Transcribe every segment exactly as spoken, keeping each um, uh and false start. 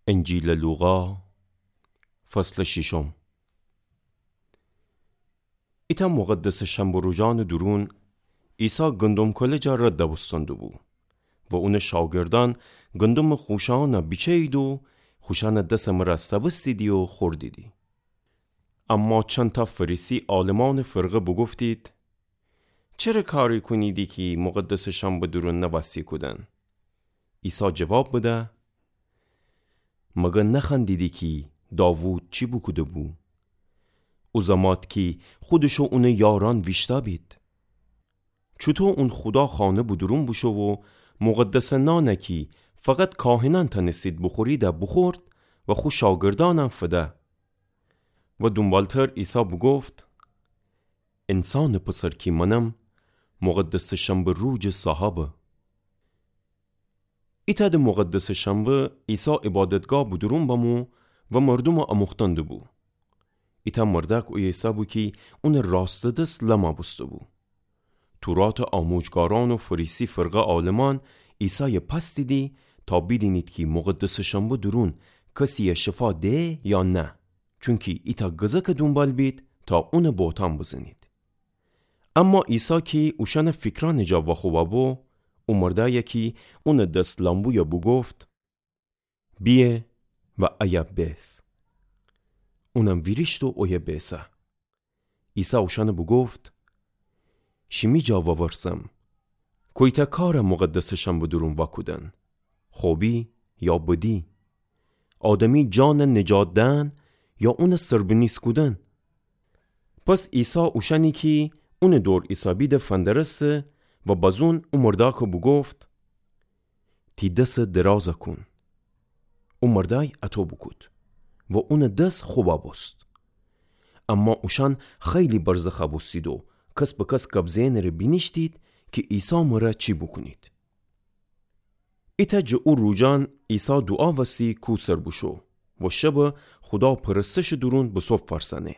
انجیلٚ لوقا، فصلٚ شیشم. ایتأ مقدسٚ شنبه روجأنٚ دورون، عیسی گندم کله جا رد بوستن دوبو و اونٚ شاگردأن گندمٚ خوشه‌یأن بیچه‌ییدی و خوشأنٚ دسٚ مره سبستیدی و خوردیدی. اما چندتأ فریسی عالمأنٚ فرقه بوگفتید: چره کاری کونیدی کی مقدسٚ شنبه دورون نوأستی کودن؟ عیسی جواب بده: مگر نخوأندیدی کی داوود چی بوکوده‌بو؟ او زمات کی خودش و اونٚ یارأن ویشتأ بید، چوطو اون خودا خانه به دورون بوشو و مقدسٚ نان کی فقط کاهنأن تأنستید بوخورید بوخورد و خو شاگردأنم فده. و دونبالتر عیسی بوگفت: انسانٚ پسر کی منم، مقدسٚ شنبه روجٚ صاحبه. ایتأ د مقدسٚ شنبه عیسی عبادتگاه به دورون بمو و مردومٚ آموختن دوبو. ایتأ مردأک اویه ایسه‌بو کی اونٚ راستٚ دس لم بوسته‌بو. توراتٚ آموجگارأن و فریسی فرقه عالمأن عیسای پأستیدی تا بیدینید کی مقدسٚ شنبه دورون کسیی شفا ده یا نه، چونکی ایتأ گزکٚ دونبال بید تا اونٚ بهتأن بزنید. اما عیسی کی اوشأنٚ فیکرأنٚ جا واخوبه‌بو، او مردأیی کی اونٚ دس لم بویه بوگفت: بیه و ایه بیس. اونم ویریشت و اویه بیسه. عیسی اوشأن بوگفت: شیمی جا وورسم، کویتأ کار مقدسٚ شنبه دورون واکودن، خوبی یا بدی؟ آدمی جان نجات دئن یا اون سربنیز کودن؟ پس عیسی اوشأنی کی اون دور ایسه‌بید فندرسته و بزون او مردأک بوگفت: تی دس دراز کون. او مردأی اطو بوکود و اون دس خوب بوست. اما اوشأن خیلی برزخ بوستید و کس به کس گب زئنٚ ره بینیشتید کی عیسی مره چی بوکونید. ایتأ جٚه او روجأن عیسی دوعا وسی کو سر بوشو و شب خودا پرستشٚ دورون به صبح فأرسأنه.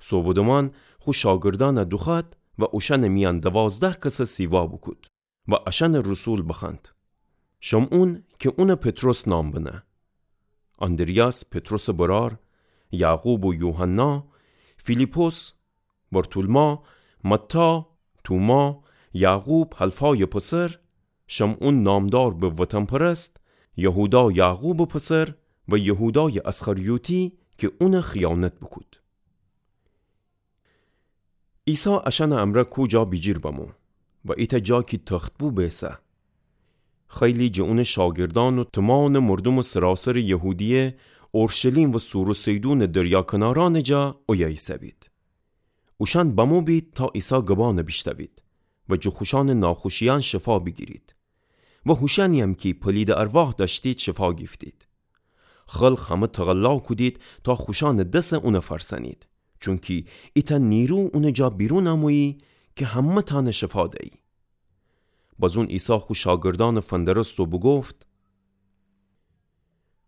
صبحٚ دمان خو شاگردأن دوخوأد و اوشأنٚ میأن دوازده کس سیوا بوکود و اشأنٚ رسول بخوأند. شمعون کی اون پطرس نام بنه، آندریاس پطرسٚ برأر، یعقوب و یوحنا، فیلیپس، برتولما، متی، توما، یعقوب حلفایٚ پسر، شمعون نامدار به وطن‌پرست، یهودا یعقوبٚ پسر و یهودایٚ اسخریوطی کی اون خیانت بوکود. عیسی اشأنٚ امرأ کو جا بیجیر بمو و ایتأ جا کی تخت بو بیسه. خیلی جٚه اونٚ شاگردأن و تومامٚ مردومٚ سراسرٚ یهودیه، اورشلیم و صور و صیدونٚ دریا کنارأنٚ جا اویه ایسه‌بید. اوشأن بمو بید تا عیسی گبأن بیشنوید و جٚه خوشأنٚ ناخوشیأن شفا بیگیرید و هوشأنی‌یم کی پلیدٚ ارواح دأشتید شفا گیفتید. خلق همه تقلا کودید تا خوشأنٚ دس اون فأرسأنید، چونکی ایتأ نیرو اونٚ جا بیرون امویی کی همه‌تأن شفا دیی. بزون عیسی خو شاگردأن فندرست و بوگفت: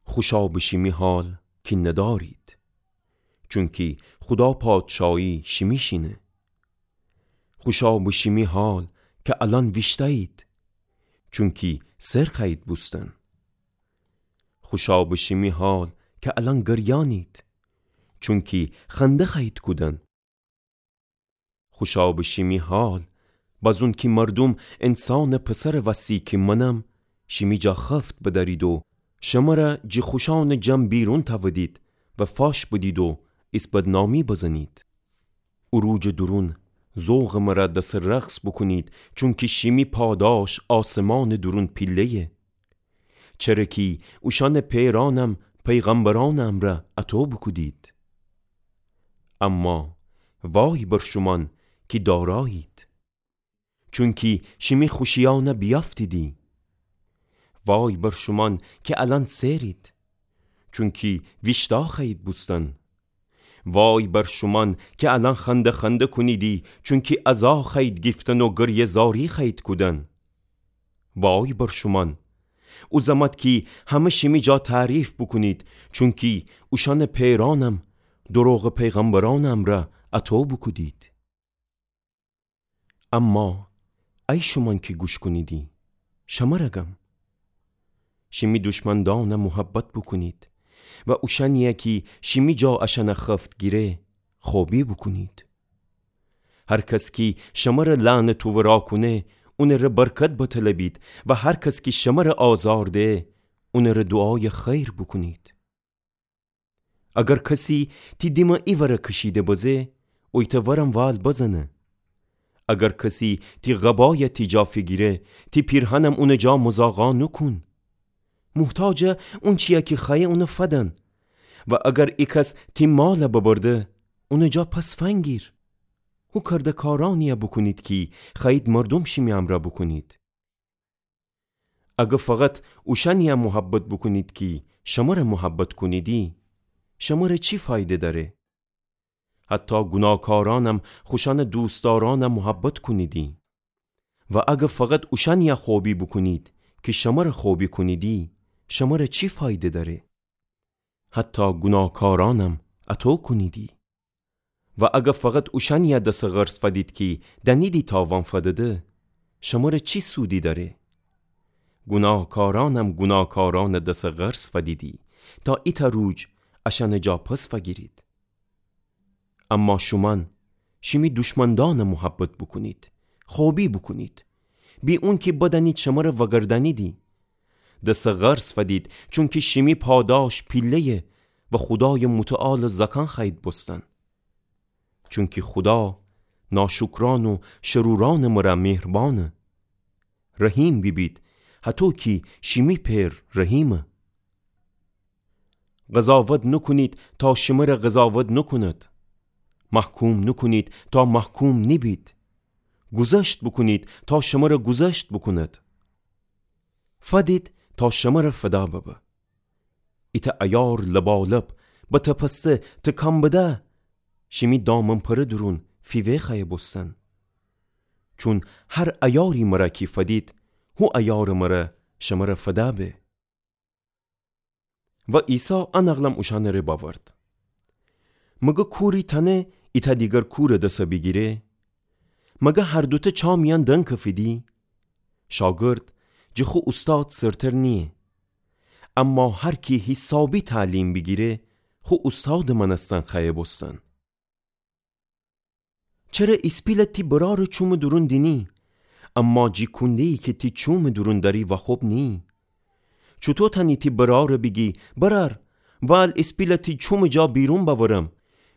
خوشا به شیمی حال کی ندارید، چونکی خودا پادشایی شیمیشینه. خوشا به شیمی حال کی الأن ویشتأیید، چونکی سر خوأیید بوستن. خوشا به شیمی حال کی الأن گریأنید، چونکی خنده خوأیید کودن. خوشا به شیمی حال بزون کی مردوم انسانٚ پسرٚ وسی کی منم، شیمی جا خفت بدأرید و شمره جٚه خوشأنٚ جمع بیرون تأودید و فاش بدید و ایس بدنامی بزنید. او روجٚ دورون ذوقٚ مره دسٚ رقص بوکونید، چونکی شیمی پاداش آسمانٚ دورون پیله‌یه. چره کی اوشأنٚ پئرأنم پیغمبرأنٚ امرأ اطو بوکودید. اما وای بر شومأن کی دارایید، چونکی شیمی خوشیأن بیأفتیدی. وای بر شومأن کی الأن سئرید، چونکی ویشتا خوأیید بوستن. وای بر شومأن کی الأن خنده خنده کونیدی، چونکی ازا خوأیید گیفتن و گریه‌زاری خوأیید کودن. وای بر شومأن او زمات کی همه شیمی جا تعریف بوکونید، چونکی اوشأنٚ پئرأنم دروغٚ پیغمبرأنٚ امرأ اطو بوکودید. اما ای شومأن کی گوش کونیدی، شمره گم، شیمی دشمندأنَ محبت بوکونید و اوشأنیَ کی شیمی جا اشأنَ خفت گیره، خوبی بوکونید. هر کس کی شمره لعنت و ورا کونه، اونٚ ره برکت بطلبید و هر کس کی شمره آزار ده، اونٚ ره دوعایٚ خیر بوکونید. اگر کسی تی دیمَ ایوره کشیده بزه، اویتأ ورم وال بزنه. اگر کسی تی قبایَ تی جا فیگیره، تی پیرهنم اونٚ جا مزاقا نوکون. محتاجَ اونچیَ کی خوأیه اونَ فدن. و اگر ایکس تی مالَ ببرده، اونٚ جا پس فنگیر. هو کرده‌کارأنیَ بوکونید کی خوأیید مردوم شیمی امرأ بوکونید. اگر فقط اوشأنیَ محبت بوکونید کی شمره محبت کونیدی، شمره چی فایده دأره؟ حتی گوناهکارأنم خوشأنٚ دوستدارأنَ محبت کونیدی. و اگر فقط اوشأنیَ خوبی بوکونید کی شمره خوبی کونیدی، شمره چی فایده دأره؟ حتی گوناهکارأنم اطو کونیدی. و اگر فقط اوشأنیَ دسٚ قرض فدید کی دأنیدی تاوان فدیده، شمره چی سودی دأره؟ گوناهکارأنم گوناهکارأنٚ دسٚ قرض فدیدی، تا ایتأ روج اشأنٚ جا پس فگیرید. اما شومأن شیمی دشمندأنَ محبت بوکونید، خوبی بوکونید، بی اونکی بدأنید شمره وأگردأنیدی. دسٚ قرض فدید، چونکی شیمی پاداش پیله‌یه و خودایٚ متعالٚ زأکأن خوأیید بوستن. چونکی خودا ناشوکرأن و شرورأنٚ مره مهربأنه. رحیم بیبید، هطو کی شیمی پئر رحیمه. قضاوت نوکونید تا شمره قضاوت نوکوند. محکوم نوکونید تا محکوم نیبید. گذشت بوکونید تا شمره گذشت بوکوند. فدید تا شمره فدا ببه. ایتأ ایار لبالب به تپسته تکان بده، شیمی دامن‌پره دورون فیوه خوأیه بوستن. چون هر ایاری مره کی فدید، هو ایارٚ مره شمره فدا به. و عیسی ا نقلم اوشأنٚ ره بأورد: مگه کوری تأنه ایتأ دیگر کورٚ دس بیگیره؟ مگه هر دوتأ چا میأن دنکفیدی؟ شاگرد جٚه خو اوستاد سرتر نییه. اما هر کی حیسابی تعلیم بیگیره، خو اوستادٚ مأنستن خوأیه بوستن. چره ایسپیلَ تی برارٚ چومٚ دورون دینی، اما جی کونده‌یی کی تی چومٚ دورون دأری واخوب نییی؟ چوطو تأنی تی برارَ بیگی: برار، وال ایسپیلَ تی چومٚ جا بیرون بأورم،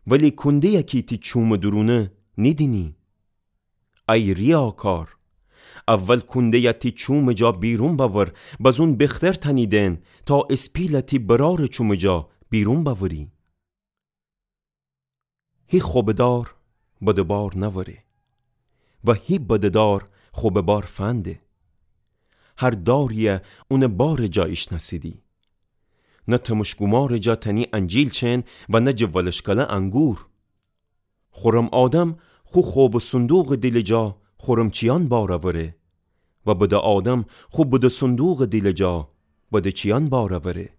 ولی کونده‌یَ کی تی چومٚ دورونه نیدینی؟ ای ریاکار! اول کونده‌یَ تی چومٚ جا بیرون بأور، بزون بختر تأنی دئن تا ایسپیلَ تی برارٚ چومٚ جا بیرون بأوری. هی خوبه دار بده‌بار نأوره و هی بده‌دار خوبه بار فنده. هر داری‌یَ اونٚ بارٚ جا ایشنأسیدی. نه تمشک‌گومارٚ جا تأنی انجیل چئن و نه جٚه ولشکله انگور. خورم آدم خو خوبٚ صندوقٚ دیلٚ جا خورمچیأن بار أوره و بده آدم خو بده صندوقٚ دیلٚ جا بده‌چیأن بار أوره.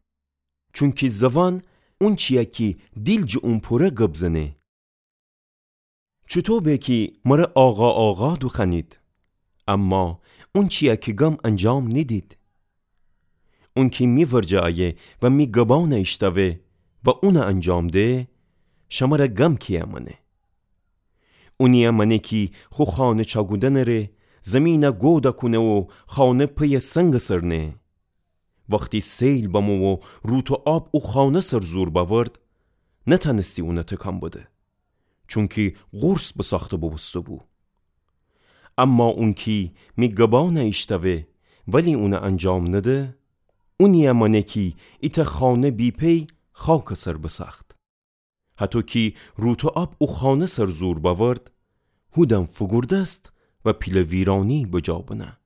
چونکی زوان اونچی‌یه کی دیل جٚه اون پوره گب زنه. چوطو به کی مره آقا، آقا دوخوأنید، اما اونچی‌یه کی گم انجام نیدید؟ اونکی می ورجه أیه و می گبأنَ ایشتأوه و اونَ انجام ده، شمره گم کی‌یه مأنه؟ اونی‌یه مأنه کی خو خانه چاکودنٚ ره زیمینَ گود کونه و خانه پی‌یه سنگٚ سر نه. وختی سیل بمو و روت و آب او خانه سر زور بأورد، نتأنستی اونَ تکان بده، چونکی قورس بساخته بوبوسته‌بو. اما اونکی می گبأنَ ایشتأوه ولی اونَ انجام نده، اونی‌یه مأنه کی ایتأ خانه بی‌پی خاکٚ سر بساخت. هطو کی روت و آب او خانه سر زور بأورد، هودن فوگوردست و پیله ویرأنی بجا بنه.